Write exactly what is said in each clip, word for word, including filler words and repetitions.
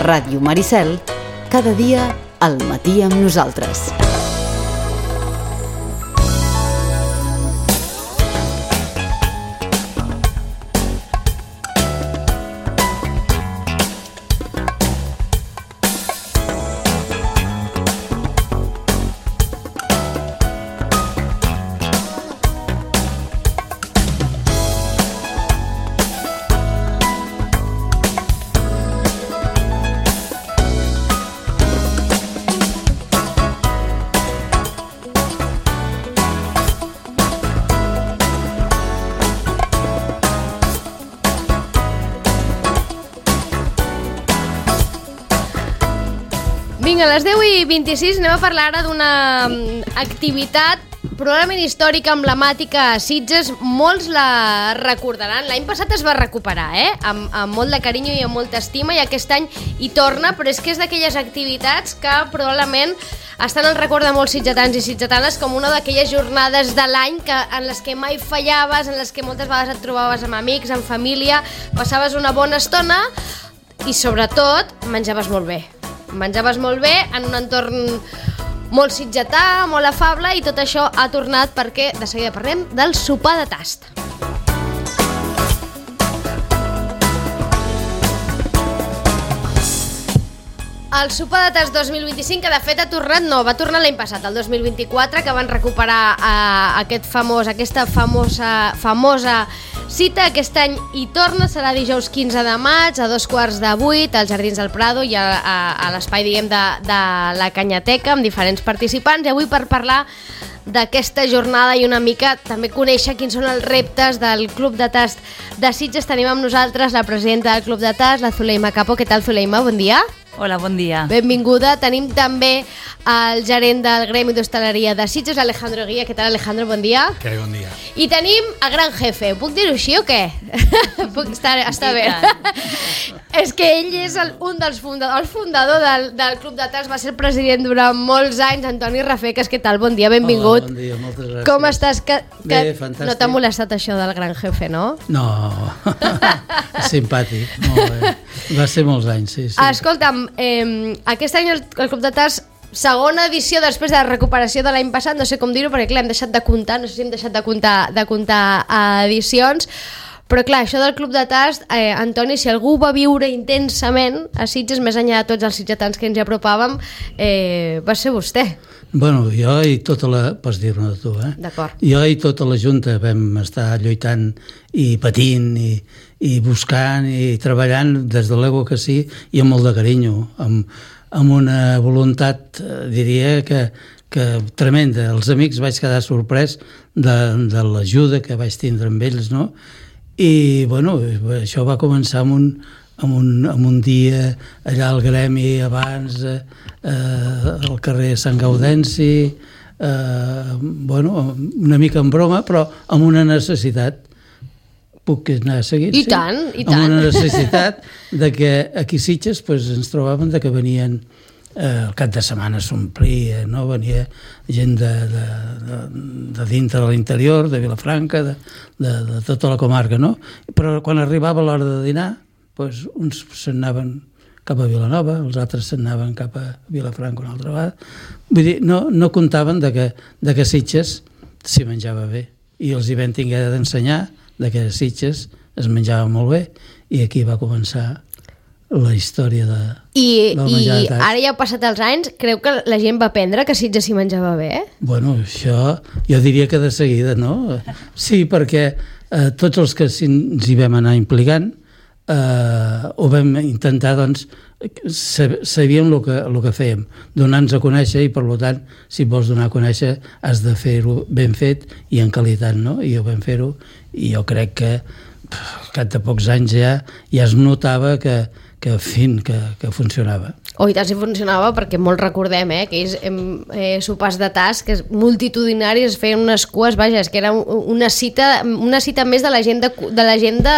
Ràdio Maricel, cada dia al matí amb nosaltres. Vinga, a les deu i vint-i-sis anem a parlar ara d'una activitat probablement històrica, emblemàtica a Sitges. Molts la recordaran. L'any passat es va recuperar, eh? Amb, amb molt de carinyo i amb molta estima, i aquest any hi torna, però és que és d'aquelles activitats que probablement estan al record de molts sitgetans i sitgetanes com una d'aquelles jornades de l'any que, en les que mai fallaves, en les que moltes vegades et trobaves amb amics, amb família, passaves una bona estona i sobretot menjaves molt bé. Menjaves molt bé en un entorn molt sitgetà, molt afable, i tot això ha tornat perquè de seguida parlem del sopar de tast. El sopar de tast dos mil vint-i-cinc, que de fet ha tornat, no, va tornar l'any passat, el dos mil vint-i-quatre, que van recuperar eh, aquest famós, aquesta famosa, famosa cita. Aquest any hi torna, serà dijous quinze de maig a dos quarts de vuit als Jardins del Prado i a, a, a l'espai, diguem, de, de la Canyateca, amb diferents participants. I avui, per parlar d'aquesta jornada i una mica també conèixer quins són els reptes del Club de Tast de Sitges, tenim amb nosaltres la presidenta del Club de Tast, la Zuleima Capo. Què tal, Zuleima? Bon dia. Hola, bon dia. Benvinguda. Tenim també el gerent del Gremi d'Hostaleria de Sitges, Alejandro Guía. Què tal, Alejandro? Bon dia. Que bon dia. I tenim el gran jefe. Puc dir-ho així o què? Puc estar, està bé. És que ell és el, un dels fundadors, el fundador del, del Club de Tast, va ser el president durant molts anys, Antoni Rafecas. Què tal? Bon dia, benvingut. Hola, bon dia, moltes gràcies. Com estàs? Que, que Bé, fantàstic. No t'ha molestat això del gran jefe, no? No, simpàtic, molt bé. Va ser molts anys, sí, sí. Escolta'm, eh, aquest any el, el Club de Tast, segona edició després de la recuperació de l'any passat, no sé com dir-ho, perquè clar, hem deixat de comptar, no sé si hem deixat de comptar, de comptar edicions, però clar, això del Club de Tast, eh, Antoni, si algú va viure intensament a Sitges, més enllà de tots els sitgetans que ens hi apropàvem, eh, va ser vostè. Bueno, jo i tota la... Pots dir-ne de tu, eh? D'acord. Jo i tota la Junta vam estar lluitant i patint i, i buscant i treballant des de l'ego que sí, i amb molt de carinyo, amb, amb una voluntat, diria, que, que tremenda. Els amics vaig quedar sorprès de, de l'ajuda que vaig tindre amb ells, no? I, bueno, això va començar amb un, amb un, amb un dia allà al Gremi abans, eh, al carrer Sant Gaudenci, eh, bueno, una mica en broma, però amb una necessitat. Puc anar seguint? I sí? tant, i tant. Amb una necessitat de que aquí a Sitges pues, ens trobàvem de que venien, eh, el cap de setmana s'omplia, no? Venia gent de, de, de, de dintre de l'interior, de Vilafranca, de, de, de tota la comarca, no? Però quan arribava l'hora de dinar, pues, uns se'n anaven cap a Vilanova, els altres se'n anaven cap a Vilafranca una altra vegada. Vull dir, no, no comptaven de que, de que Sitges s'hi menjava bé. I els hi vam tinguer d'ensenyar de que a Sitges es menjava molt bé, i aquí va començar la història de, I, del menjar i de tast. ara ja ha passat els anys, creu que la gent va aprendre que a Sitges s'hi menjava bé? Bueno, això jo diria que de seguida, no? Sí, perquè eh, tots els que s'hi- ens hi vam anar implicant eh, ho vam intentar, doncs, sabíem el que, el que fèiem, donar-nos a conèixer, i per tant, si vols donar a conèixer has de fer-ho ben fet i en qualitat, no? I ho vam fer-ho, i jo crec que al cap de pocs anys ja, ja es notava que, que fin, que, que funcionava. Oh, i tant si funcionava, perquè molt recordem, eh, aquells eh, sopars de tast, que és multitudinaris, es feien unes cues, vaja, és que era una cita, una cita més de l'agenda de l'agenda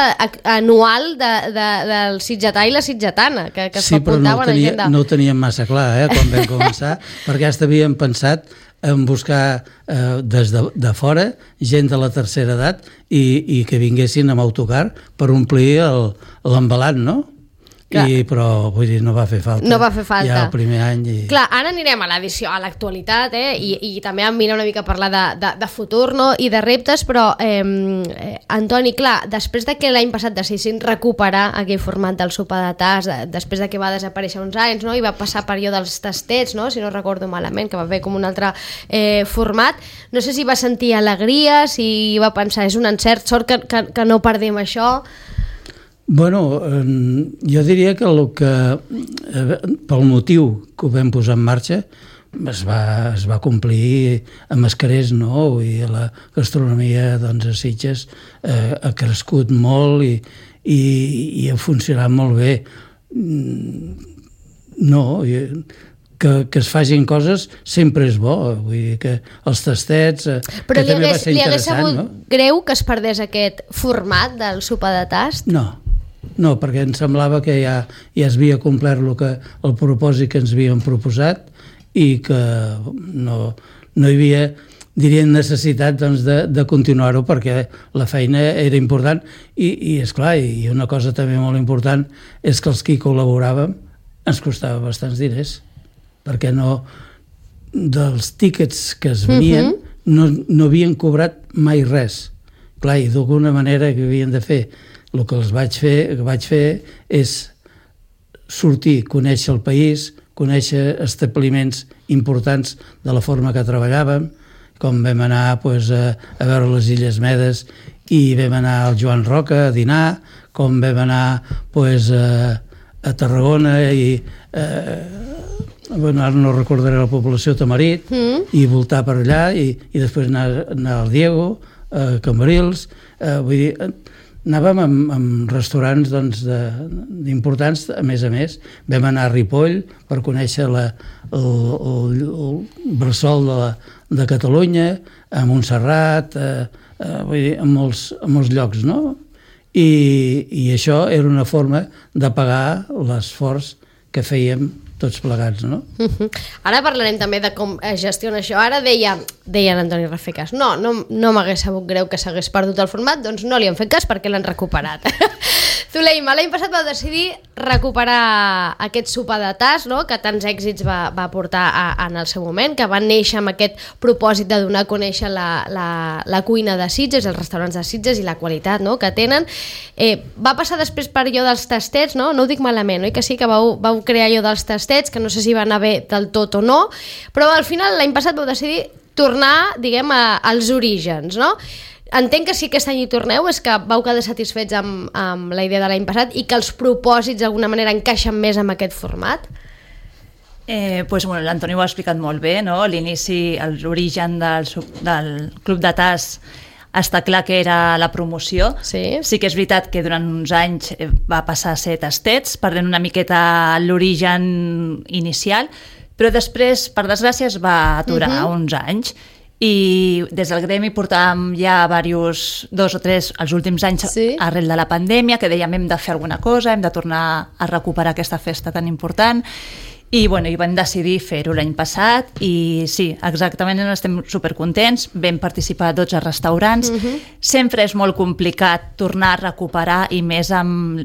anual de, de, del sitgetà i la sitgetana, que, que es Sí, però no ho, apuntava en tenia, l'agenda. no ho teníem massa clar, eh, quan vam començar, perquè ja havíem pensat en buscar eh, des de, de fora gent de la tercera edat i, i que vinguessin amb autocar per omplir el- l'embalat, no? I, però vull dir, no va fer falta. No va fer falta. Ja el primer any. I... Clar, ara anirem a l'edició, a l'actualitat, eh? I, i també em vine una mica a parlar de, de, de futur, no? I de reptes, però, eh, eh, Antoni, clar, després de que l'any passat decidissin recuperar aquell format del sopar de tas, de, després de que va desaparèixer uns anys, no? I va passar període dels tastets, no? Si no recordo malament, que va fer com un altre eh, format, no sé si va sentir alegria, si va pensar, és un encert, sort que, que, que no perdem això. Bueno, jo diria que, el que pel motiu que ho vam posar en marxa es va, es va complir amb escarers, no? I la gastronomia, doncs, a Sitges eh, ha crescut molt i, i, i ha funcionat molt bé. No, que, que es facin coses sempre és bo, vull dir que els tastets, eh, però que també hagués, va ser interessant. Però li hagués sabut, no? Greu que es perdés aquest format del sopar de tast? No, no, perquè em semblava que ja, ja es havia complert el, que, el propòsit que ens havíem proposat i que no, no hi havia, diria, necessitat, doncs, de, de continuar-ho perquè la feina era important i, i esclar, i una cosa també molt important és que els que hi col·laboràvem ens costava bastants diners, perquè no, dels tíquets que es venien uh-huh. no, no havien cobrat mai res. Clar, i d'alguna manera que havien de fer. El que els vaig fer, que vaig fer és sortir, conèixer el país, conèixer establiments importants de la forma que treballàvem, com vam anar, pues, a, a veure les Illes Medes i vam anar al Joan Roca a dinar, com vam anar, pues, a, a Tarragona i eh, bueno, ara no recordaré la població, Tamarit, mm. i voltar per allà i, i després anar, anar al Diego, a Cambrils, eh, vull dir, anàvem amb, amb restaurants, doncs, de, importants, a més a més. Vam anar a Ripoll per conèixer la, el, el, el bressol de, la, de Catalunya, a Montserrat, eh, eh, vull dir, a molts, a molts llocs, no? I, I això era una forma de pagar l'esforç que fèiem tots plegats, no? Uh-huh. Ara parlarem també de com es gestiona això. Ara deia, deia l'Antoni Rafecas, no, no, no m'hagués sabut greu que s'hagués perdut el format, doncs no li han fet cas perquè l'han recuperat. Zuleima, l'any passat vau decidir recuperar aquest sopar de tas, no?, que tants èxits va, va portar a, en el seu moment, que van néixer amb aquest propòsit de donar a conèixer la, la, la cuina de Sitges, els restaurants de Sitges i la qualitat, no?, que tenen. Eh, va passar després per allò dels tastets, no? No ho dic malament, oi que sí, que vau, vau crear allò dels tastets, que no sé si va anar bé del tot o no, però al final l'any passat vau decidir tornar, diguem, a, als orígens, no? Entenc que sí que aquest any hi torneu, és que vau quedar satisfets amb, amb la idea de l'any passat i que els propòsits d'alguna manera encaixen més amb aquest format? Eh, pues, bueno, l'Antoni ho ha explicat molt bé, no? L'inici, l'origen del, del Club de Tas està clar que era la promoció. Sí. Sí que és veritat que durant uns anys va passar a ser tastets, perdent una miqueta l'origen inicial, però després, per desgràcia, es va aturar uh-huh. uns anys. I des del gremi portàvem ja diversos, dos o tres, els últims anys, sí, arrel de la pandèmia, que dèiem hem de fer alguna cosa, hem de tornar a recuperar aquesta festa tan important. I, bueno, i vam decidir fer-ho l'any passat i sí, exactament, estem supercontents, vam participar a dotze restaurants. Uh-huh. Sempre és molt complicat tornar a recuperar i més amb,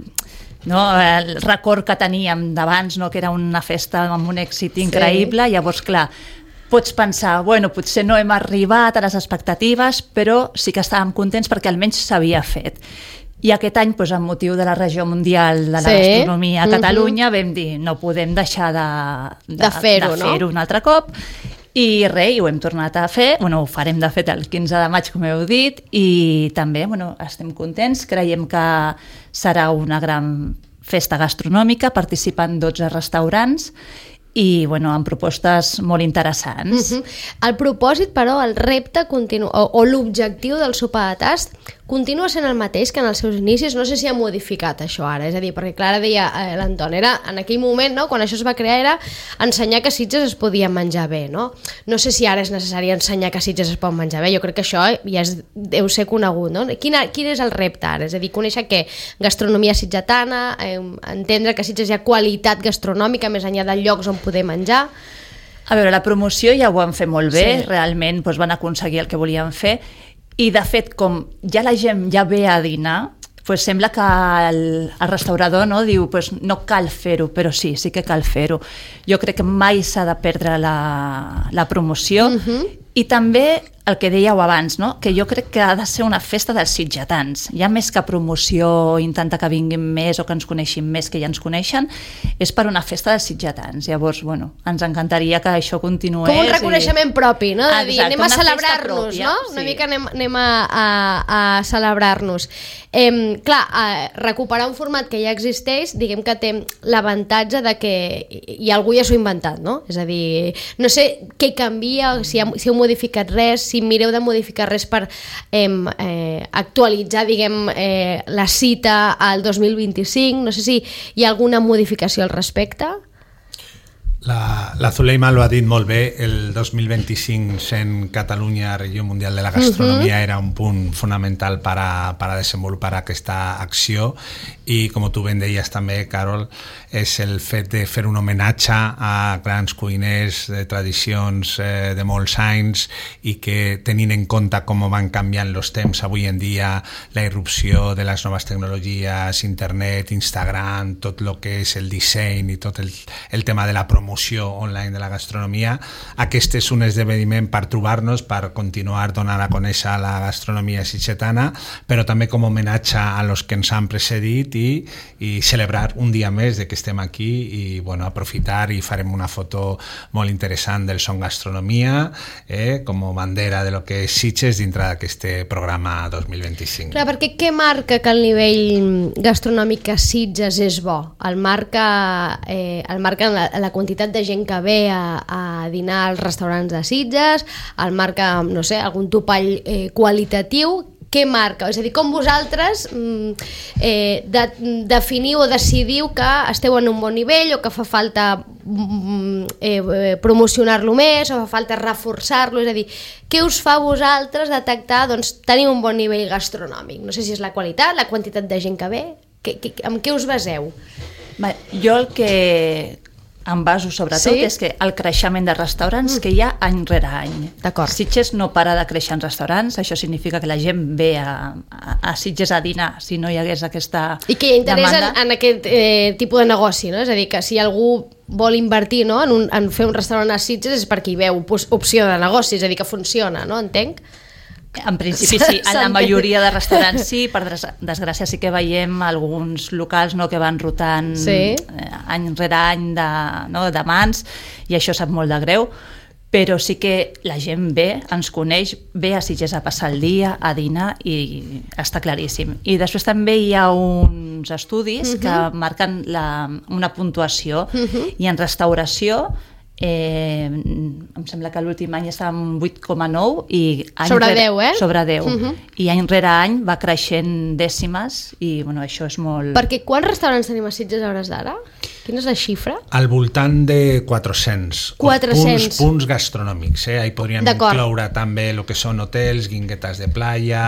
no, el record que teníem d'abans, no, que era una festa amb un èxit increïble. Sí. Llavors, clar, pots pensar, bueno, potser no hem arribat a les expectatives, però sí que estàvem contents perquè almenys s'havia fet. I aquest any, doncs, amb motiu de la regió mundial de la sí. gastronomia a Catalunya, uh-huh. vam dir, no podem deixar de, de, de fer-ho, de fer-ho no? un altre cop. I res, i ho hem tornat a fer, bueno, ho farem de fet el quinze de maig, com heu dit, i també, bueno, estem contents, creiem que serà una gran festa gastronòmica, participen dotze restaurants, i, bueno, amb propostes molt interessants. Uh-huh. El propòsit, però, el repte continu... o, o l'objectiu del sopar de tast continua sent el mateix que en els seus inicis. No sé si ha modificat això ara, és a dir, perquè Clara deia, eh, l'Anton, era en aquell moment, no?, quan això es va crear, era ensenyar que a Sitges es podia menjar bé, no? No sé si ara és necessari ensenyar que a Sitges es pot menjar bé, jo crec que això ja és, deu ser conegut, no? Quin, quin és el repte ara? És a dir, conèixer què? Gastronomia sitgetana, eh, entendre que a Sitges hi ha qualitat gastronòmica més enllà de llocs on poder menjar. A veure, la promoció ja ho van fer molt bé, sí. realment doncs, van aconseguir el que volien fer, i de fet, com ja la gent ja ve a dinar, pues sembla que el, el restaurador no, diu pues no cal fer-ho, però sí, sí que cal fer-ho. Jo crec que mai s'ha de perdre la, la promoció uh-huh. i també el que dèieu abans, no? Que jo crec que ha de ser una festa dels sitgetans. Ja més que promoció, intenta que vinguin més o que ens coneixin més que ja ens coneixen, és per una festa dels sitgetans. Llavors, bueno, ens encantaria que això continués. Com un reconeixement i... propi, no? De dir, Exacte, anem a celebrar-nos, no? Sí. Una mica anem, anem a, a, a celebrar-nos. Eh, clar, eh, recuperar un format que ja existeix, diguem que té l'avantatge de que i algú ja s'ho ha inventat, no? És a dir, no sé què canvia, si, ha, si heu modificat res, si mireu de modificar res per eh, eh, actualitzar, diguem, eh, la cita al dos mil vint-i-cinc, no sé si hi ha alguna modificació al respecte. La, la Zuleima lo ha dit molt bé, el dos mil vint-i-cinc sent Catalunya Regió Mundial de la Gastronomia uh-huh. era un punt fonamental per a, per a desenvolupar aquesta acció i com tu ben deies també, Carol, és el fet de fer un homenatge a grans cuiners de tradicions eh, de molts anys i que tenint en compte com van canviant els temps avui en dia, la irrupció de les noves tecnologies, internet, Instagram, tot el que és el disseny i tot el, el tema de la promoció online de la gastronomia, aquest és un esdeveniment per trobar-nos, per continuar donant a conèixer la gastronomia sitgetana, però també com homenatge a los que ens han precedit i, i celebrar un dia més de que estem aquí i bueno, aprofitar i farem una foto molt interessant del Som Gastronomia eh, com a bandera de lo que és Sitges dintre d'aquest programa dos mil vint-i-cinc. Clar, perquè què marca que el nivell gastronòmic a Sitges és bo? El marca, eh, el marca la, la quantitat de gent que ve a, a dinar als restaurants de Sitges, el marca, no sé, algun topall eh, qualitatiu. Què marca? És a dir, com vosaltres eh, de, definiu o decidiu que esteu en un bon nivell o que fa falta eh, promocionar-lo més o fa falta reforçar-lo? És a dir, què us fa a vosaltres detectar doncs, tenir un bon nivell gastronòmic? No sé si és la qualitat, la quantitat de gent que ve, que, que, amb què us baseu? Va, jo el que em baso sobretot sí? és que el creixement de restaurants mm. que hi ha any rere any. D'acord. Sitges no para de créixer en restaurants, això significa que la gent ve a, a, a Sitges a dinar si no hi hagués aquesta I que hi ha interès en, en aquest eh, tipus de negoci, no? És a dir, que si algú vol invertir no? en, un, en fer un restaurant a Sitges és perquè hi veu opció de negoci, és a dir, que funciona, no? Entenc? En principi sí, en la majoria de restaurants sí, per desgràcia sí que veiem alguns locals no, que van rotant sí. any rere any de, no, de mans i això sap molt de greu, però sí que la gent ve, ens coneix, ve a Sitges a passar el dia, a dinar i està claríssim. I després també hi ha uns estudis uh-huh. que marquen la, una puntuació uh-huh. i en restauració Eh, em sembla que l'últim any estava en vuit coma nou i any sobre rere, deu, eh? Sobre deu. Uh-huh. I any rere any va creixent dècimes i bueno, això és molt... Perquè quants restaurants tenim a Sitges a hores d'ara? Quina és la xifra? Al voltant de quatre-cents. quatre-cents. Punts, punts gastronòmics. Eh? Ahí podríem incloure també el que són hotels, guinguetes de playa,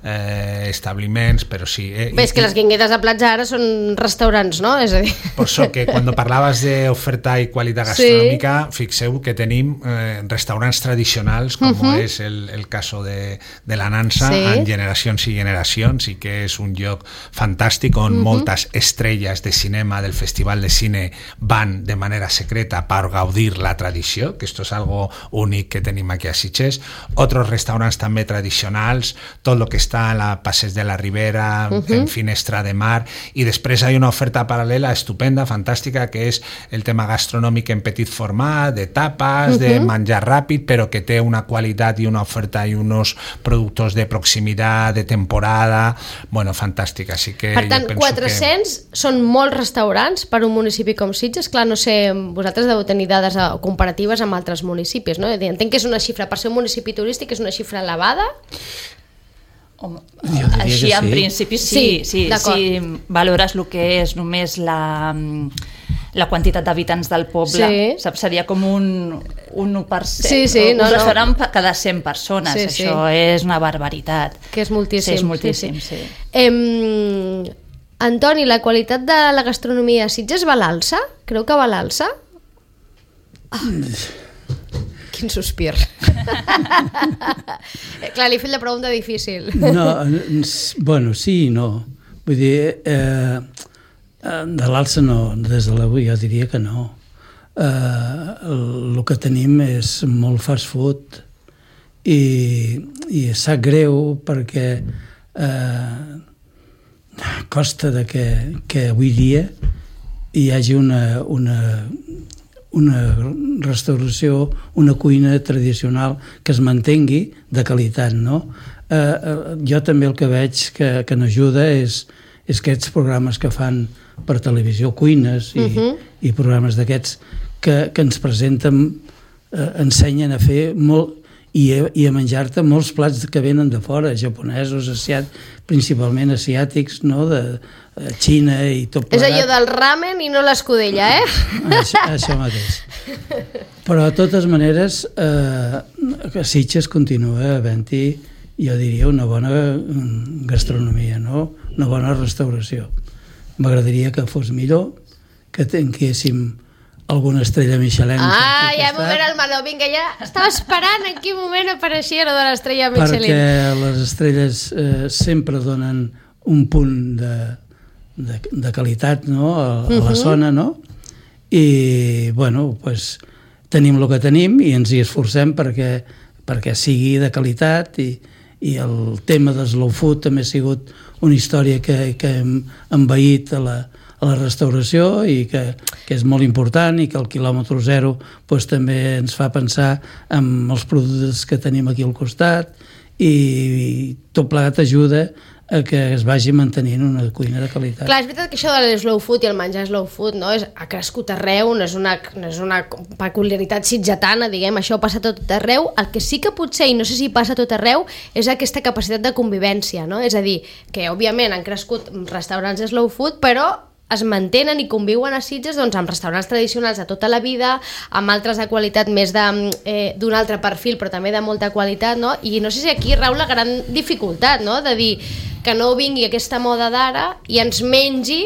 eh, establiments, però sí. Eh? Bé, és que les guinguetes de platja ara són restaurants, no? És a dir... Per això que quan parlaves d'oferta i qualitat gastronòmica, sí. fixeu que tenim eh, restaurants tradicionals, com uh-huh. és el, el cas de, de la Nansa, sí. en generacions i generacions, i que és un lloc fantàstic on uh-huh. moltes estrelles de cinema del Festival de Cine van de manera secreta per gaudir la tradició, que esto es algo únic que tenim aquí a Sitges. Otros restaurants també tradicionals, tot el que està a la Passeig de la Ribera, uh-huh. en Finestra de Mar, i després hi ha una oferta paral·lela estupenda, fantàstica, que és el tema gastronòmic en petit format, de tapes, uh-huh. de menjar ràpid, però que té una qualitat i una oferta i uns productes de proximitat, de temporada, bueno, fantàstic. Així que per tant, jo penso quatre-cents que... són molts restaurants per un municipi com Sitges. Clar, no sé, vosaltres deveu tenir dades comparatives amb altres municipis, no? Entenc que és una xifra, per ser un municipi turístic, és una xifra elevada? Home, així en sí. principi sí, sí, sí si valores el que és només la, la quantitat d'habitants del poble, sí. saps? Seria com un, un u per cent, sí, sí, un no, restaurant no. cada cent persones, sí, això sí. és una barbaritat. Que és moltíssim. Sí, és moltíssim, sí. sí. sí. Em... Antoni, la qualitat de la gastronomia a Sitges va a l'alça? Creu que va a l'alça? Oh. Quin sospir. Clar, li he fet la pregunta difícil. No, bueno, sí i no. Vull dir, eh, de l'alça no, des de l'avui jo diria que no. Eh, el, el que tenim és molt fast food i, i sap greu perquè eh, costa de que, que avui dia hi hagi una, una, una restauració, una cuina tradicional que es mantengui de qualitat, no? Eh, eh, jo també el que veig que, que n'ajuda és, és aquests programes que fan per televisió, cuines i, uh-huh. i programes d'aquests que, que ens presenten, eh, ensenyen a fer molt i a, i a menjar-te molts plats que venen de fora, japonesos, asiat, principalment asiàtics, no? De eh, Xina i tot plegat. És allò del ramen i no l'escudella, eh? Això, això mateix. Però de totes maneres, eh, a Sitges continua havent-hi, jo diria, una bona gastronomia, no? Una bona restauració. M'agradaria que fos millor, que tinguéssim alguna estrella Michelin. Ah, ja m'ho veure el meló, vinga, ja estava esperant en quin moment apareixia lo de l'estrella Michelin. Perquè les estrelles eh, sempre donen un punt de, de, de qualitat, no? A, a la zona, no? I, bueno, pues, tenim el que tenim i ens hi esforcem perquè, perquè sigui de qualitat i, i el tema de slow food també ha sigut una història que, que hem envaït a la, a la restauració i que, que és molt important i que el quilòmetre zero pues, també ens fa pensar en els productes que tenim aquí al costat i, i tot plegat ajuda a que es vagi mantenint una cuina de qualitat. Clar, és veritat que això de slow food i el menjar slow food no, és, ha crescut arreu, no és, una, no és una peculiaritat sitgetana, diguem, això passa tot arreu. El que sí que potser, i no sé si passa tot arreu, és aquesta capacitat de convivència, no? És a dir, que òbviament han crescut restaurants de slow food, però es mantenen i conviuen a Sitges doncs, amb restaurants tradicionals de tota la vida, amb altres de qualitat més d'un eh, altre perfil, però també de molta qualitat, no? I no sé si aquí rau la gran dificultat, no? De dir que no vingui aquesta moda d'ara i ens mengi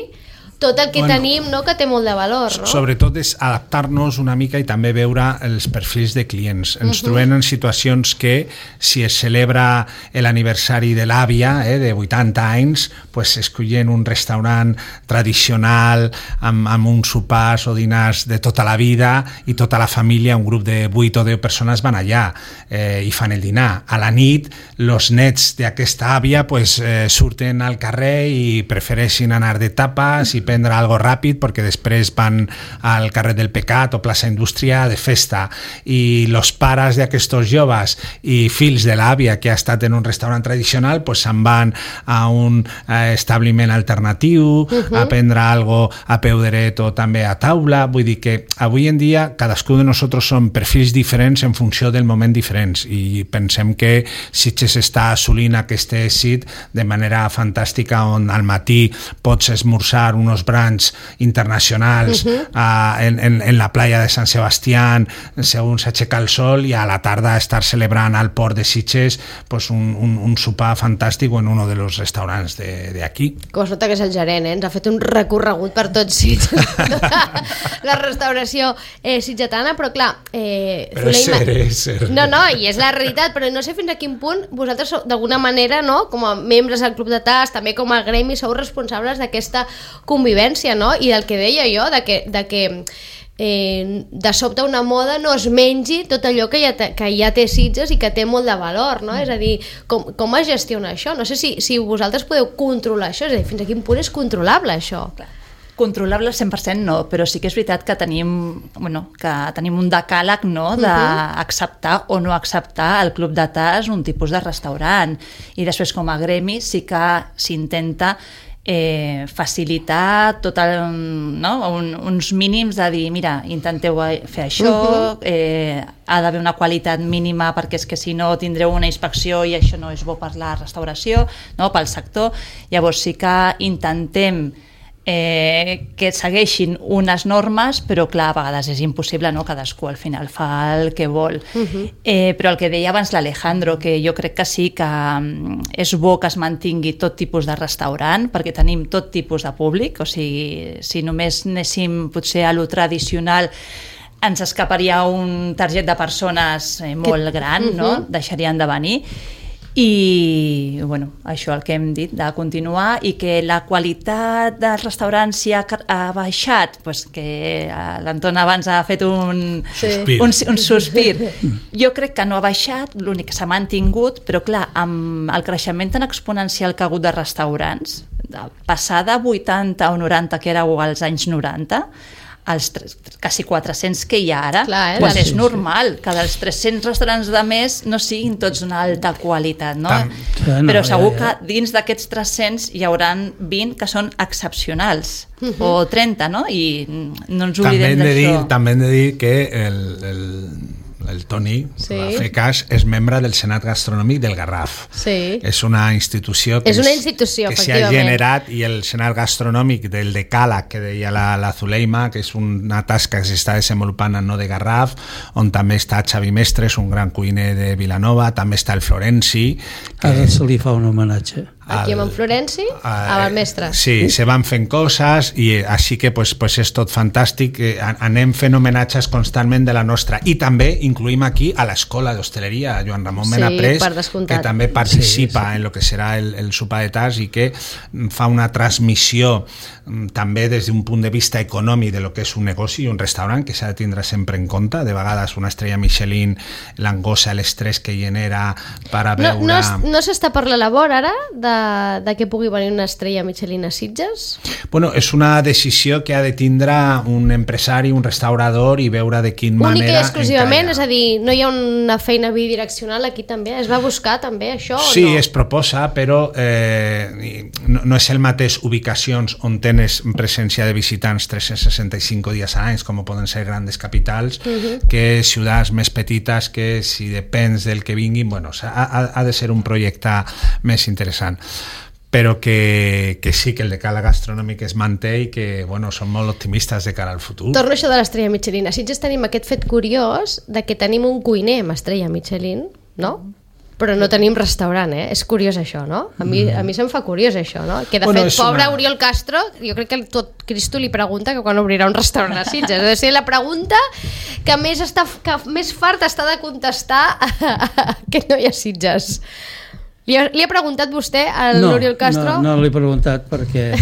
tot el que bueno, tenim, no? Que té molt de valor, no? Sobretot és adaptar-nos una mica i també veure els perfils de clients. Ens uh-huh. trobem en situacions que si es celebra l'aniversari de l'àvia eh, de vuitanta anys, pues escollen un restaurant tradicional amb, amb uns sopars o dinars de tota la vida i tota la família, un grup de vuit o deu persones van allà eh, i fan el dinar. A la nit, els nets d'aquesta àvia pues, eh, surten al carrer i prefereixen anar de tapes i prendre algo ràpid perquè després van al carrer del Pecat o plaça Indústria de festa i els pares d'aquests joves i fills de l'àvia que ha estat en un restaurant tradicional pues se'n van a un eh, establiment alternatiu uh-huh. a prendre algo a peu dret o també a taula, vull dir que avui en dia cadascú de nosaltres som perfils diferents en funció del moment diferents i pensem que Sitges està assolint aquest èxit de manera fantàstica on al matí pots esmorzar unos brands internacionals uh-huh. uh, en, en, en la playa de Sant Sebastián segons s'aixeca el sol i a la tarda estar celebrant al port de Sitges pues un, un, un sopar fantàstic en un dels restaurants d'aquí. Com es nota que és el gerent, eh? Ens ha fet un recorregut per tot Sitges la restauració eh, sitgetana, però clar eh, però és ser, és ser. No, no, i és la realitat, però no sé fins a quin punt vosaltres d'alguna manera, no? Com a membres del Club de Tas, també com a gremi sou responsables d'aquesta convivència, no? I del que deia jo, de que, de que eh, de sobte una moda no es mengi tot allò que ja, te, que ja té Sitges i que té molt de valor, no? Mm. És a dir, com, com es gestiona això? No sé si, si vosaltres podeu controlar això, és a dir, fins a quin punt és controlable això? Clar. Controlable al cent per cent no, però sí que és veritat que tenim, bueno, que tenim un decàleg no, d'acceptar o no acceptar al Club de Tas un tipus de restaurant i després com a gremi sí que s'intenta Eh, facilitar tot el, no? Un, uns mínims de dir, mira, intenteu fer això, uh-huh. eh, ha d'haver una qualitat mínima perquè és que si no tindreu una inspecció i això no és bo per la restauració, no? Pel sector. Llavors sí que intentem eh, que segueixin unes normes, però clar, a vegades és impossible, no? Cadascú al final fa el que vol. Uh-huh. eh, però el que deia abans l'Alejandro, que jo crec que sí que um, és bo que es mantingui tot tipus de restaurant, perquè tenim tot tipus de públic, o sigui, si només anéssim potser a lo tradicional ens escaparia un target de persones eh, molt gran, uh-huh. no? Deixarien de venir. I, bueno, això el que hem dit, de continuar, i que la qualitat dels restaurants si ha, ha baixat, pues que l'Anton abans ha fet un, Sí. un, un sospir. Jo crec que no ha baixat, l'únic que s'ha mantingut, però clar, amb el creixement tan exponencial que ha hagut de restaurants, de passar de vuitanta o noranta que éreu als anys noranta, als tres, quasi quatre-cents que hi ha ara, Clar, eh? pues Sí, és sí. normal que dels tres-cents restaurants de més no siguin tots d'una alta qualitat, no? Tam- Sí, no, Però ja, segur ja. que dins d'aquests tres-cents hi hauran vint que són excepcionals, o trenta, no? I no ens També oblidem hem de dir, d'això. també hem de dir que el, el, el Toni, Sí. va fer cas, és membre del Senat Gastronòmic del Garraf. Sí. És una institució que, És una institució, que s'ha efectivament. generat, i el Senat Gastronòmic del Decàleg, que deia la, la Zuleima, que és una tasca que s'està desenvolupant en no de Garraf, on també està Xavi Mestres, un gran cuiner de Vilanova, també està el Florenci, que Ara se li fa un homenatge. Aquí amb en Florenci, amb el mestre. Sí, se van fent coses i així que pues, pues és tot fantàstic. eh, Anem fent homenatges constantment de la nostra. I també incluïm aquí a l'Escola d'Hostaleria, Joan Ramon Sí, Menaprés, per descomptat. que també participa Sí, sí. en lo que serà el, el sopar de tas i que fa una transmissió mm, també des d'un punt de vista econòmic de lo que és un negoci i un restaurant, que s'ha de tindre sempre en compte. De vegades una estrella Michelin, l'angoixa, l'estrès que genera per a No, veure... no, es- no s'està per la labor ara de, de que pugui venir una estrella Michelin a Sitges? Bueno, és una decisió que ha de tindre un empresari, un restaurador, i veure de quina Única manera... i exclusivament, encalla. és a dir, no hi ha una feina bidireccional aquí també? Es va buscar també això Sí, o no? es proposa, però eh, no, no és el mateix ubicacions on tens presència de visitants tres-cents seixanta-cinc dies a l'any, com poden ser grandes capitals, uh -huh. que ciutats més petites, que si depens del que vinguin, bueno, ha, ha, ha de ser un projecte més interessant. Però que, que sí, que el decàleg gastronòmic es manté i que, bueno, som molt optimistes de cara al futur. Torno a això de l'estrella Michelin. A Sitges tenim aquest fet curiós de que tenim un cuiner amb estrella Michelin, no? Però no tenim restaurant, eh? És curiós això, no? A mi, a mi se'm fa curiós això, no? Que de Bueno, fet, és pobre una- Oriol Castro, jo crec que tot Cristo li pregunta que quan obrirà un restaurant a Sitges. Ha de ser la pregunta que més, està, que més fart està de contestar que no hi ha Sitges. Li ha, li ha preguntat vostè a l'Oriol Castro? No, no l'he preguntat perquè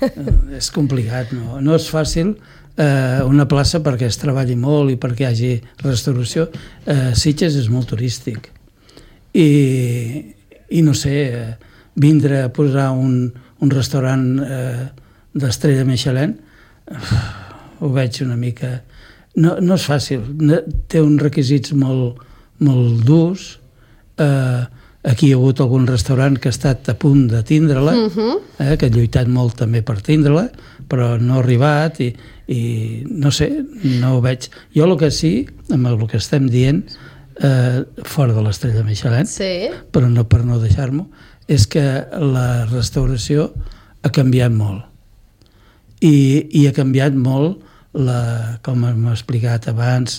eh, és complicat, no, no és fàcil eh, una plaça perquè es treballi molt i perquè hi hagi restauració. Eh, Sitges és molt turístic i, i no sé, eh, vindre a posar un, un restaurant eh, d'estrella Michelin eh, ho veig una mica... No, no és fàcil, no, té uns requisits molt, molt durs. Eh, aquí hi ha hagut algun restaurant que ha estat a punt de tindre-la, Mhm. eh, que ha lluitat molt també per tindre-la, però no ha arribat i, i no sé, no ho veig. Jo el que sí, amb el que estem dient, eh, fora de l'estrella Michelin, Sí. però no per no deixar-m'ho, és que la restauració ha canviat molt. I, i ha canviat molt, la, com hem explicat abans,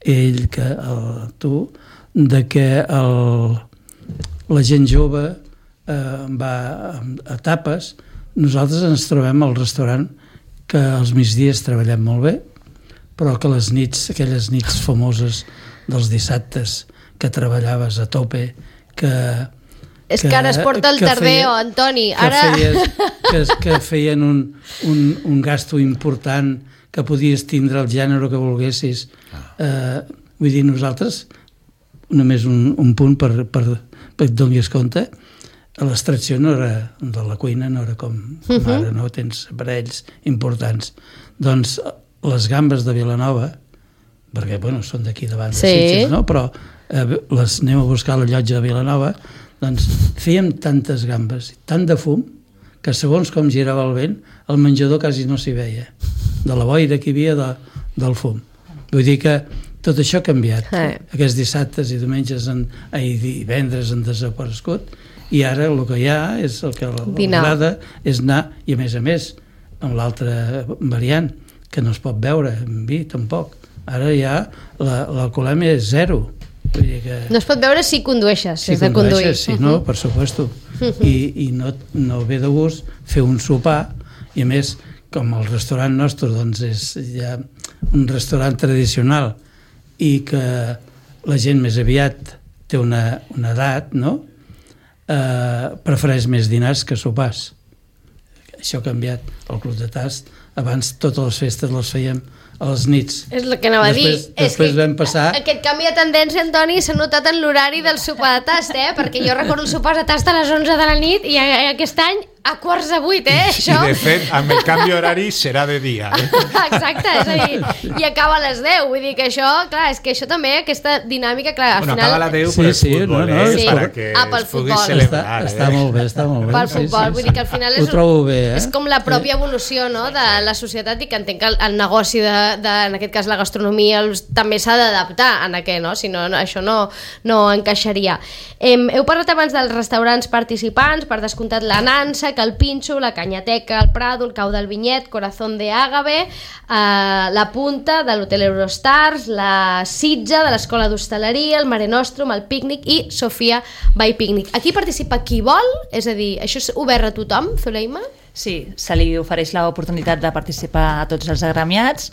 ell, que el, tu, de que el, la gent jove eh, va a tapes. Nosaltres ens trobem al restaurant que als migdies treballem molt bé, però que les nits, aquelles nits famoses dels dissabtes que treballaves a tope, que... És que ara es porta el que tardeo, feia- Antoni. que Ara... feies, que, que feien un, un, un gasto important, que podies tindre el gènere que volguessis. Eh, vull dir, nosaltres, només un, un punt per, per, per et donis compte, l'extracció no era, de la cuina no era com, com Mhm. ara, no? Tens aparells importants. Doncs les gambes de Vilanova, perquè, bueno, són d'aquí davant de Sí. Sitges, no? Però eh, les anem a buscar a la llotja de Vilanova, doncs fèiem tantes gambes, tant de fum, que segons com girava el vent, el menjador quasi no s'hi veia, de la boira que hi havia de, del fum. Vull dir que tot això ha canviat. Eh. Aquests dissabtes i diumenges, en, ai, divendres han desaparegut, i ara el que hi ha és el que Dinar. l'agrada és anar, i a més a més, amb l'altra variant, que no es pot beure en vi tampoc. Ara ja la- l'alcoholèmia és zero. Vull dir que... No es pot veure si condueixes, Si és de conduir. condueixes, sí, no, per supuesto. I, i no, no ve de gust fer un sopar, i a més, com el restaurant nostre doncs és ja un restaurant tradicional i que la gent més aviat té una, una edat, no? eh, prefereix més dinars que sopars. Això ha canviat. El Club de Tast, abans totes les festes les fèiem a les nits. És el que anava després, a dir. Després és vam passar... Aquest canvi de tendència, Antoni, s'ha notat en l'horari del sopar de tast, eh? Perquè jo recordo el sopar de tast a les onze de la nit i aquest any a quarts de vuit, eh? I, Això... I de fet, amb el canvi horari serà de dia. Eh? Exacte, és a dir, i acaba a les deu, vull dir que això, clar, és que això també, aquesta dinàmica, clar, al bueno, final... acaba a les deu Sí, per el sí, futbol, no, no, eh? sí. Para que Ah, pel es pugui futbol. celebrar. Està, eh? està molt bé, està molt bé. Pel futbol, vull dir que al final és, Ho trobo bé, eh? és com la pròpia evolució, no?, de la societat, i que entenc que el, el negoci de, de, en aquest cas la gastronomia, els, també s'ha d'adaptar en aquest, no? Si no, no això no, no encaixaria. Hem, heu parlat abans dels restaurants participants, per descomptat la Nansa, que el Pinxo, la Canyateca, el Prado, el Cau del Vinyet, Corazón de Ágave, eh, la Punta de l'Hotel Eurostars, la Sitja de l'Escola d'Hostaleria, el Mare Nostrum, el Pícnic i Sofia by Pícnic. Aquí participa qui vol? És a dir, això és obert a tothom, Zuleima? Sí, se li ofereix l'oportunitat de participar a tots els agremiats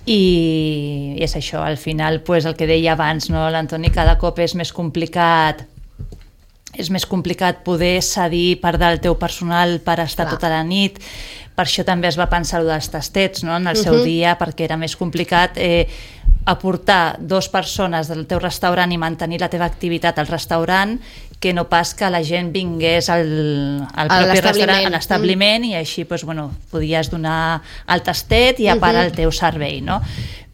i és això, al final, pues, el que deia abans, no, l'Antoni, cada cop és més complicat és més complicat poder cedir part del teu personal per estar Clar. tota la nit. Per això també es va pensar el dels tastets, no?, en el seu Uh-huh. dia, perquè era més complicat eh, aportar dos persones del teu restaurant i mantenir la teva activitat al restaurant, que no pas que la gent vingués al, al A propi l'establiment. restaurant, a l'establiment, mm. i així pues, bueno, podies donar el tastet i a part Uh-huh. el teu servei, no?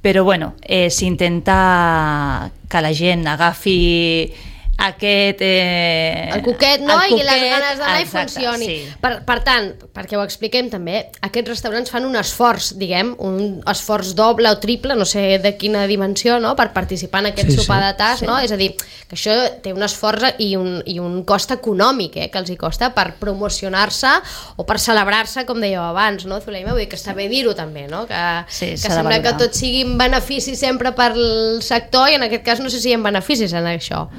Però bueno, eh, s'intenta que la gent agafi aquest... Eh, El cuquet, no? el I les cuquet, ganes d'anar i exacte, funcioni. sí. Per, per tant, perquè ho expliquem també, aquests restaurants fan un esforç, diguem, un esforç doble o triple, no sé de quina dimensió, no?, per participar en aquest Sí, sopar sí, de tas, sí. no? És a dir, que això té un esforç i un, i un cost econòmic, eh?, que els hi costa per promocionar-se o per celebrar-se, com dèieu abans, no, Zuleima? Vull dir que està bé dir-ho també, no? Que, Sí, que s'ha de sembla que valorar. tot sigui un benefici sempre per al sector i en aquest cas no sé si hi ha beneficis en això.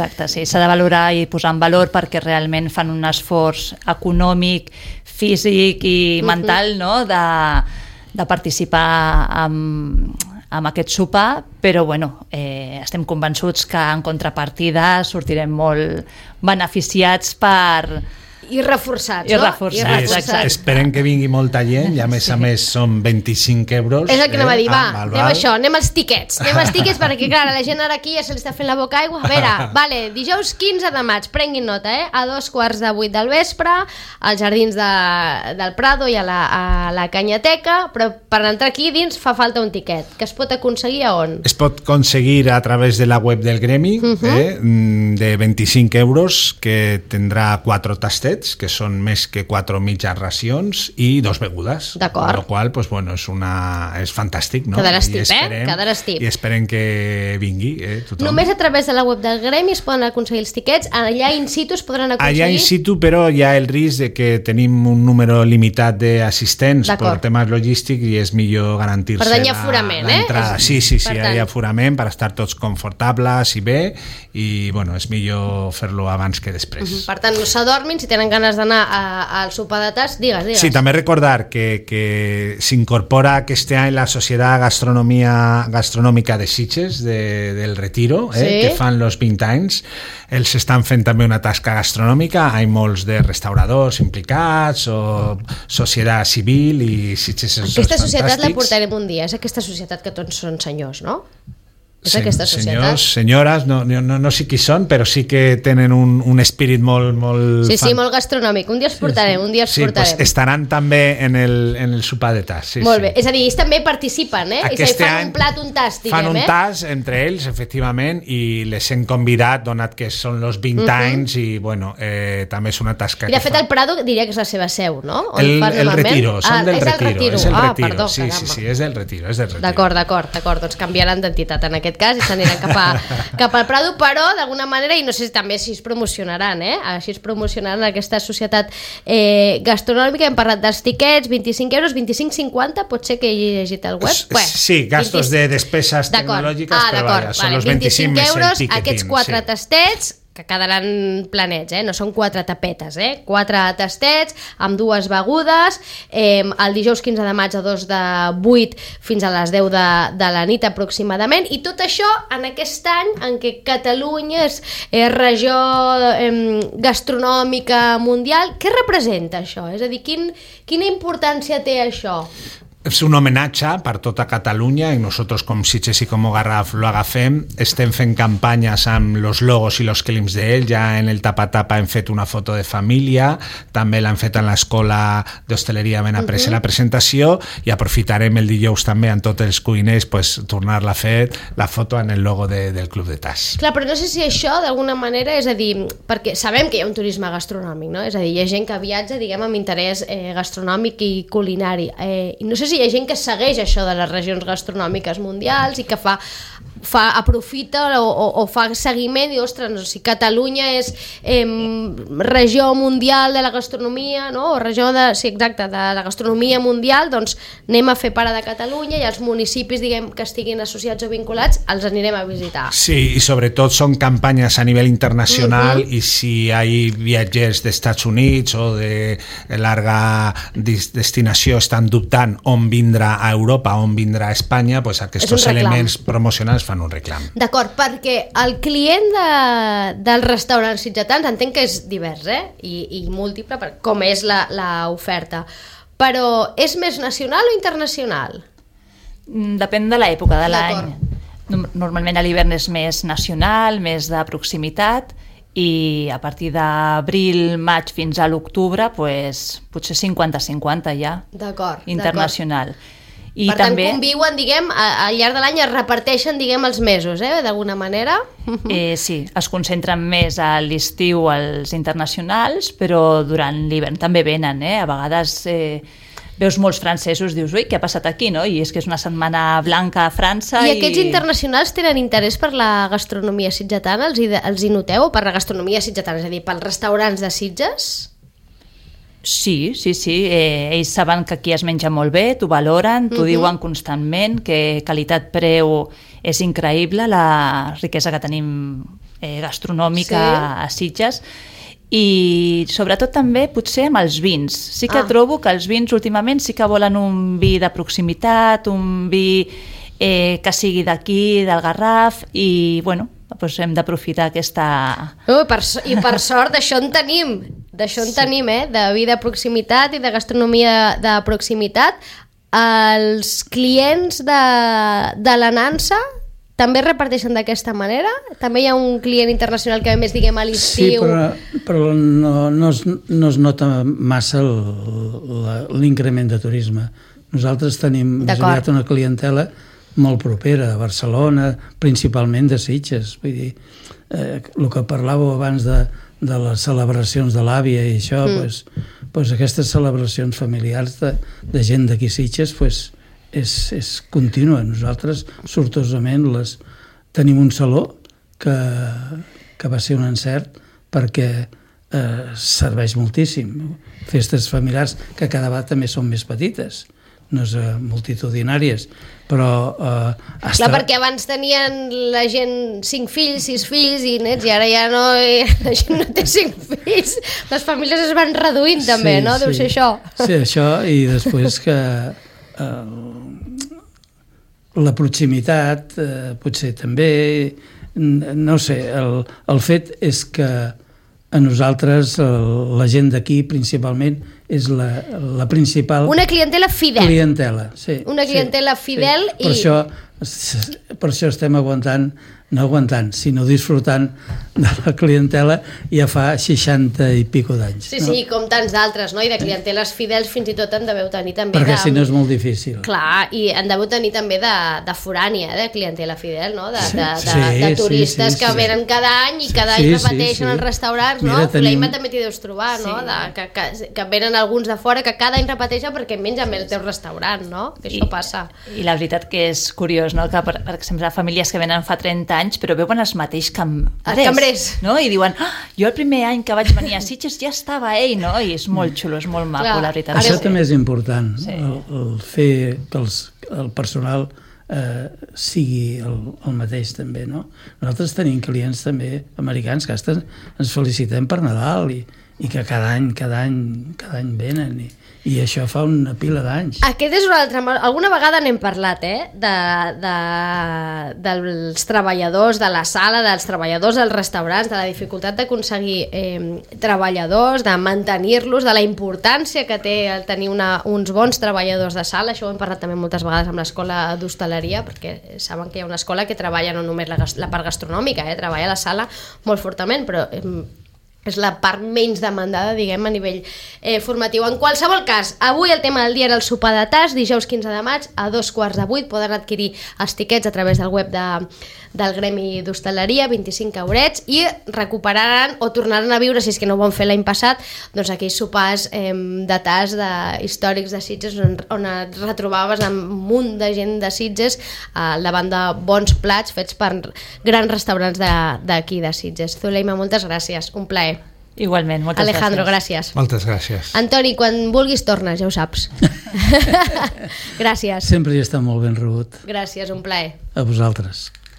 Exacte, sí, s'ha de valorar i posar en valor perquè realment fan un esforç econòmic, físic i Mhm. mental, no?, de, de participar amb, amb aquest sopar, però bueno, eh, estem convençuts que en contrapartida sortirem molt beneficiats per... I reforçats, I no? reforçats, Es, exacte. esperem que vingui molta gent i a més a més són vint-i-cinc euros. És el que anem a dir, va, amb el anem a val. això, anem als tiquets, anem als tiquets perquè, clar, la gent ara aquí ja se li està fent la boca aigua. A veure, vale, dijous quinze de maig, prenguin nota, eh? A dos quarts de vuit del vespre, als jardins de, del Prado i a la, a la Canyateca, però per entrar aquí dins fa falta un tiquet, que es pot aconseguir a on? Es pot aconseguir a través de la web del gremi, uh -huh. eh, de vint-i-cinc euros, que tindrà quatre tastets, que són més que quatre mitjas racions i dos begudes. D'acord. Amb la qual cosa, pues, bueno, és, una, és fantàstic, no? Quedaràs I tip, eh? esperem- Quedaràs tip. I esperem que vingui, eh, tothom. Només a través de la web del Gremi es poden aconseguir els tiquets, allà in situ es podran aconseguir... Allà in situ, però hi ha el risc de que tenim un número limitat d'assistents per D'acord. temes logístics i és millor garantir-se Per tant, hi ha la- aforament, eh? l'entrada. És- Sí, sí, sí, per hi tant. ha aforament per estar tots confortables i bé, i bueno, és millor fer-lo abans que després. Per tant, no s'adormin, si tenen ganes d'anar a- al sopar de tas, digues, digues. Sí, també recordar que, que s'incorpora aquest any la Societat Gastronomia, Gastronòmica de Sitges de, del Retiro, eh, Sí. que fan els vint anys. Ells estan fent també una tasca gastronòmica, hi ha molts de restauradors implicats o societat civil i Sitges són Aquesta societat la fantàstics. portarem un dia, és aquesta societat que tots són senyors, no? És Sen- aquesta societat. Senyors, senyores, no, no, no sé qui són, però sí que tenen un, un espírit molt... molt Sí, sí, fan- molt gastronòmic. Un dia els portarem, un dia els Sí, portarem. pues estaran també en el, en el sopar de tas. Sí, Molt sí. bé, és a dir, ells també participen, eh? Aquest és a dir, fan any un plat, un tast, diguem, fan un eh? tas entre ells, efectivament, i les hem convidat, donat que són els vint Mhm. anys, i bueno, eh, també és una tasca I de que fet fan. el Prado diria que és la seva seu, no? On El, fan el normalment? retiro, són ah, del és el retiro, retiro. és el ah, retiro, perdó, sí, sí, caramba. sí, és del retiro, és del retiro. D'acord, d'acord, d'acord, doncs canviaran d'entitat en aquest cas i s'aniran cap, a, cap al Prado, però d'alguna manera, i no sé si també si es promocionaran, eh? Així es promocionaran aquesta societat eh, gastronòmica. Hem parlat dels tiquets, vint-i-cinc euros, vint-i-cinc cinquanta, pot ser que he llegit al web? S- sí, gastos de despeses D'acord. tecnològiques, ah, però d'acord, vaja, són vale, els vint-i-cinc més el euros, ticketing, aquests quatre sí. tastets, que quedaran planets, eh? No són quatre tapetes, eh? Quatre tastets amb dues begudes, eh, el dijous quinze de maig a dos de vuit fins a les deu de, de la nit aproximadament, i tot això en aquest any en què Catalunya és eh, regió eh, gastronòmica mundial. Què representa això? És a dir, quin, quina importància té això? És un homenatge per tota Catalunya i nosaltres com Sitges i com Garraf lo agafem. Estem fent campanyes amb los logos i los clims d'ell. Ja en el tapa-tapa hem fet una foto de família, també l'han fet en l'escola d'hostaleria ben après uh -huh. la presentació, i aprofitarem el dijous també amb tots els cuiners pues, tornar-la a fer la foto en el logo de, del Club de Tas. Clar, però no sé si això d'alguna manera, és a dir, perquè sabem que hi ha un turisme gastronòmic, no? És a dir, hi ha gent que viatja, diguem, amb interès eh, gastronòmic i culinari. Eh, i no sé si hi ha gent que segueix això de les regions gastronòmiques mundials i que fa, fa aprofita o, o, o fa seguiment i, ostres, no, si Catalunya és eh, regió mundial de la gastronomia, no? O regió de, sí, exacte, de la gastronomia mundial, doncs anem a fer para de Catalunya i els municipis, diguem, que estiguin associats o vinculats els anirem a visitar. Sí, i sobretot són campanyes a nivell internacional uh-huh. i si hi ha viatgers dels Estats Units o de llarga destinació estan dubtant on vindrà a Europa, on vindrà a Espanya, pues aquests elements promocionals fan un reclam. D'acord, perquè el client de, dels restaurants sitgetans entenc que és divers, eh? I, i múltiple, com és l'oferta. Però és més nacional o internacional? Depèn de l'època de l'any. Normalment a l'hivern és més nacional, més de proximitat, i a partir d'abril, maig fins a l'octubre, pues, potser cinquanta cinquanta ja. D'acord. Internacional. I per també, tant, conviuen, diguem, al llarg de l'any es reparteixen, diguem, els mesos, eh, d'alguna manera. Eh, sí, es concentren més a l'estiu als internacionals, però durant l'hivern també venen, eh? A vegades eh, veus molts francesos, dius, ui, què ha passat aquí, no? I és que és una setmana blanca a França. I, i... aquests internacionals tenen interès per la gastronomia sitgetana? Els hi, els hi noteu? Per la gastronomia sitgetana, és a dir, pels restaurants de Sitges? Sí, sí, sí. Eh, ells saben que aquí es menja molt bé, t'ho valoren, t'ho uh-huh. diuen constantment, que qualitat-preu és increïble, la riquesa que tenim eh, gastronòmica sí. a Sitges. I sobretot també potser amb els vins. Sí que ah. trobo que els vins últimament sí que volen un vi de proximitat, un vi eh, que sigui d'aquí, del Garraf, i bueno, doncs hem d'aprofitar aquesta... Uh, per, I per sort d'això en tenim, d'això en sí. tenim, eh? De vi de proximitat i de gastronomia de proximitat. Els clients de, de la Nansa també reparteixen d'aquesta manera? També hi ha un client internacional que ve més, diguem, a l'estiu? Sí, però, però no, no, es, no es nota massa l'increment de turisme. Nosaltres tenim més aviat una clientela molt propera, a Barcelona, principalment de Sitges. Vull dir, eh, el que parlàveu abans de, de les celebracions de l'àvia i això, mm. pues, pues aquestes celebracions familiars de, de gent d'aquí Sitges, pues, és, és contínua. Nosaltres, sortosament, les, tenim un saló que, que va ser un encert perquè eh, serveix moltíssim. Festes familiars que cada vegada també són més petites, no és uh, multitudinàries, però uh, hasta... Clar, perquè abans tenien la gent cinc fills, sis fills i nets, i ara ja no, la gent no té cinc fills, les famílies es van reduint també, sí, no? Deu sí. ser això. Sí, això, i després que uh, la proximitat uh, potser també, no sé, el, el fet és que a nosaltres, la gent d'aquí principalment, és la, la principal... Una clientela fidel. Clientela, sí. Una clientela sí, fidel sí. Per i... Això, per això estem aguantant, no aguantant, sinó disfrutant de la clientela ja fa seixanta i pico d'anys. Sí, no? sí, com tants d'altres, no? I de clienteles fidels fins i tot en deveu tenir també... Perquè de... si no és molt difícil. Clar, i en deveu tenir també de, de forània, de clientela fidel, no? De, sí, de, de, sí, de turistes sí, sí, que sí. venen cada any i cada sí, any repeteixen sí, sí. els restaurants, Mira, no? tenim... Fleima també t'hi deus trobar, no? Sí. De, que, que, que venen alguns de fora que cada any repeteixen perquè mengen bé el teu restaurant, no? Que això I, passa. I la veritat que és curiós, no? Que per, per exemple, famílies que venen fa trenta anys però veuen els mateixos cambrers, cambrers. No? I diuen, ah, jo el primer any que vaig venir a Sitges ja estava ell, no? I és molt xulo, és molt maco, Clar. la veritat. Això sí. també és important, sí. el, el fer que els, el personal eh, sigui el, el mateix també, no? Nosaltres tenim clients també americans que hasta ens felicitem per Nadal i, i que cada any, cada any, cada any venen i, i això fa una pila d'anys. Aquest és un altre... Alguna vegada n'hem parlat, eh? De, de, dels treballadors de la sala, dels treballadors dels restaurants, de la dificultat d'aconseguir eh, treballadors, de mantenir-los, de la importància que té el tenir una, uns bons treballadors de sala. Això ho hem parlat també moltes vegades amb l'escola d'hostaleria, perquè saben que hi ha una escola que treballa no només la, la part gastronòmica, eh? Treballa a la sala molt fortament, però... Eh, és la part menys demandada, diguem, a nivell eh, formatiu. En qualsevol cas, avui el tema del dia era el sopar de tas, dijous quinze de maig, a dos quarts de vuit, poden adquirir els tiquets a través del web de, del Gremi d'Hostaleria, vint-i-cinc eurets, i recuperaran o tornaran a viure, si és que no ho van fer l'any passat, doncs aquells sopars eh, de tas de, històrics de Sitges, on, on et retrobaves amb un munt de gent de Sitges eh, davant de bons plats fets per grans restaurants d'aquí de, de Sitges. Zuleima, moltes gràcies, un plaer. Igualment, moltes Alejandro, gràcies. gràcies. Moltes gràcies. Antoni, quan vulguis tornes, ja ho saps. Gràcies. Sempre hi està molt ben rebut. Gràcies, un plaer. A vosaltres.